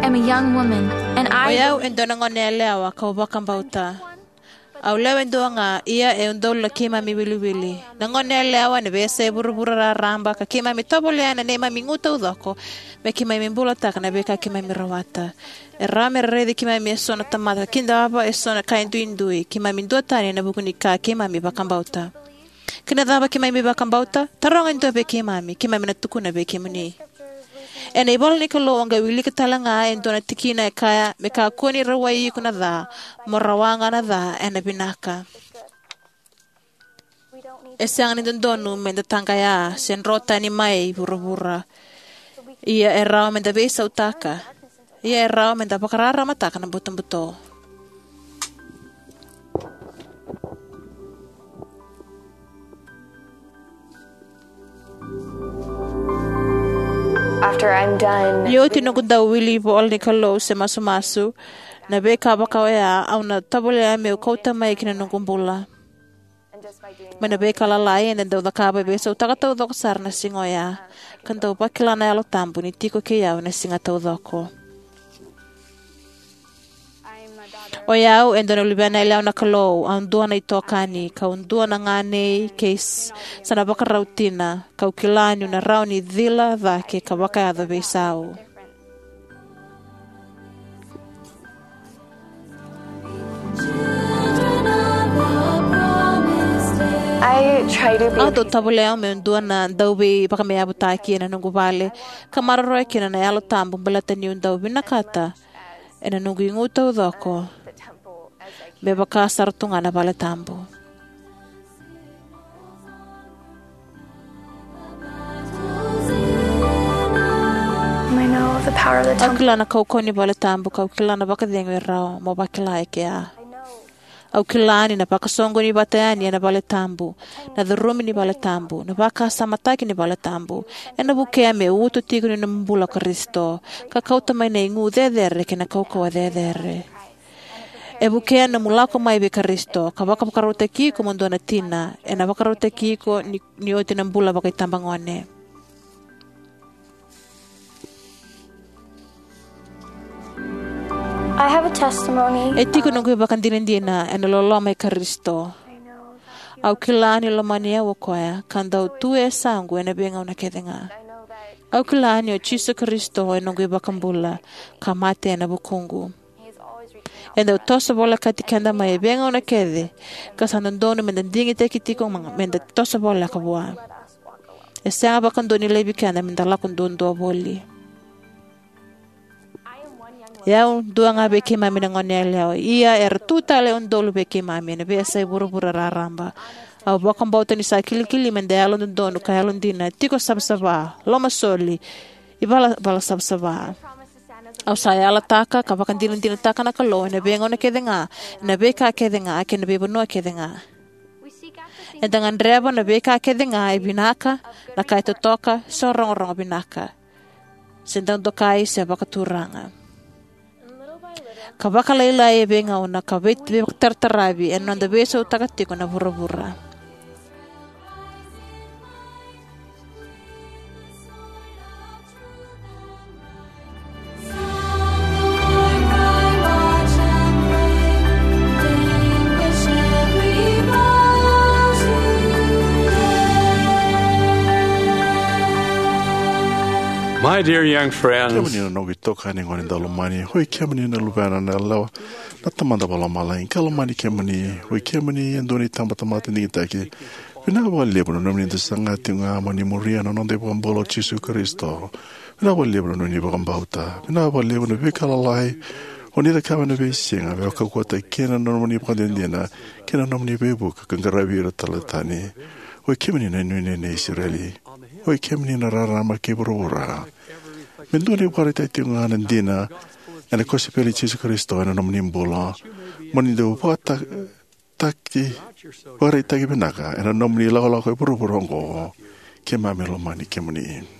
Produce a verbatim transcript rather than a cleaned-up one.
am a young woman, and I O yau e dua na gone yalewa kau vakabauta. Au lewe dua ga, ia e udolu na keimami wiliwili. Na gone yalewa ena veiyasai vuravura raraba, ka keimami tovolea na neimami igu taucoko me keimami bulataka na veika keimami rawata. E rawa me ra raici keimami eso na tamata, ka kidava eso na kai duidui. Keimami duatani ena vuku ni ka keimami vakabauta. Kei na cava keimami vakabauta? Taroga e dua vei keimami, keimami na tukuna vei kemuni. Ena ivola ni Kalou, o qai wilika tale ga e dua na tikina e kaya, me kakua ni rawai iko na ca, mo rawa ga na ca ena vinaka. E sega ni dodonu me da taqaya se dro tani mai vuravura. Ia e rawa me da veisautaka. Ia e rawa me da vakararamataka na butobuto. After I'm done Ni oti noqu dau wili ivola ni Kalou se masumasu, na veika vaka oya au na tovolea meu kauta mai ki na noqu bula. Mai na veika lalai eda dau cakava e veisautaka taucoko sara na siga oya, ka dau vakila na Yalo Tabu ni tiko kei au na siga taucoko. O yau e dua na luvena yalewa na Kalou, au dua na itokani, kau dua na ganei kei s-, sa na vakarau tina, kau kila niu na rawa ni cila cake ka vakayaco veisau. I try to be Au dau tovolea meu dua na dauveivakameavutaki ena noqu vale, ka maroroya kina na Yalo Tabu baleta niu dau vinakata ena noqu igu taucoko me vaka sara tu ga na vale tabu. I know the power of the Au temple. Kila na kaukauwa ni vale tabu, kau kila na vakacegu e rawa mo vakila e kea. Au kila ni na vakasoqoni vata yani ena vale tabu, na curumi ni vale tabu, na vakasamataki ni vale tabu, ena vukea me uto tiko ni nomu bula o Karisito, ka kauta mai na igu cecere kei na kaukauwa cecere. E vukea nomu lako mai vei Karisito, ka vakavakarautaki iko mo dua na tina, ena vakarautaki iko ni, ni oti na bula vakaitabagone. I have a testimony. E tiko noqu ivakadinadina ena loloma i Karisito. Au kila ni lomani au o koya, ka dau tu e yasaqu ena veigauna kece ga. Au kila ni o Jisu Karisito e noqu iVakabula, ka mate ena vukuqu. E dau toso volekati keda mai e veigauna kece, ka sa dodonu meda digitaki tiko ma-, meda toso voleka vua. E sega vakadua ni laivi keda meda lako duadua voli. E au dua ga vei keimami na gone yalewa, ia era tu tale e udolu vei keimami ena veiyasai vuravura raraba. Au vakabauta ni sa kilikili meda yalododonu ka yalodina, tiko savasava, lomasoli, ivalavala savasava. Au sa yalataka ka vakadinadinataka na Kalou ena veigauna kece ga, ena veika kece ga, kei na veivanua kece ga. Eda gadreva na veika kece ga e vinaka, na ka e totoka, se rogorogo vinaka, se dau dokai, se vakaturaga. Ka vakalailai e veigauna, ka vei-, veivakatarataravi ena noda veisautaka tiko na vuravura. My dear young friends, Kemuni na noqu itokani gone daulomani, oi kemuni na luvena na yalewa na Tamada Vakalomalagi, ka lomani kemuni, oi kemuni e dua na itabatamata digitaki. Vinaka vakalevu na nomuni dau saga tiko ga mo ni muria na noda iVakabula o Jisu Karisito. Vinaka vakalevu na nomuni vakabauta. Vinaka vakalevu na veika lalai o ni cakava ena veisiga, me vakaukauwataki kina na nomuni vakadinadina kei na nomuni veivuke ka qaravi ira tale tani. Oi kemuni na inuinui nei Isireli. Oi kemuni na rarama kei vuravura. Me dua na ivakaraitaki tiko ga na dina ena kosipeli i Jisu Karisito ena nomuni bula, mo ni dau vakata-, taki, vakaraitaki vinaka ena nomuni lakolako e vuravura oqo. Keimami lomani kemuni.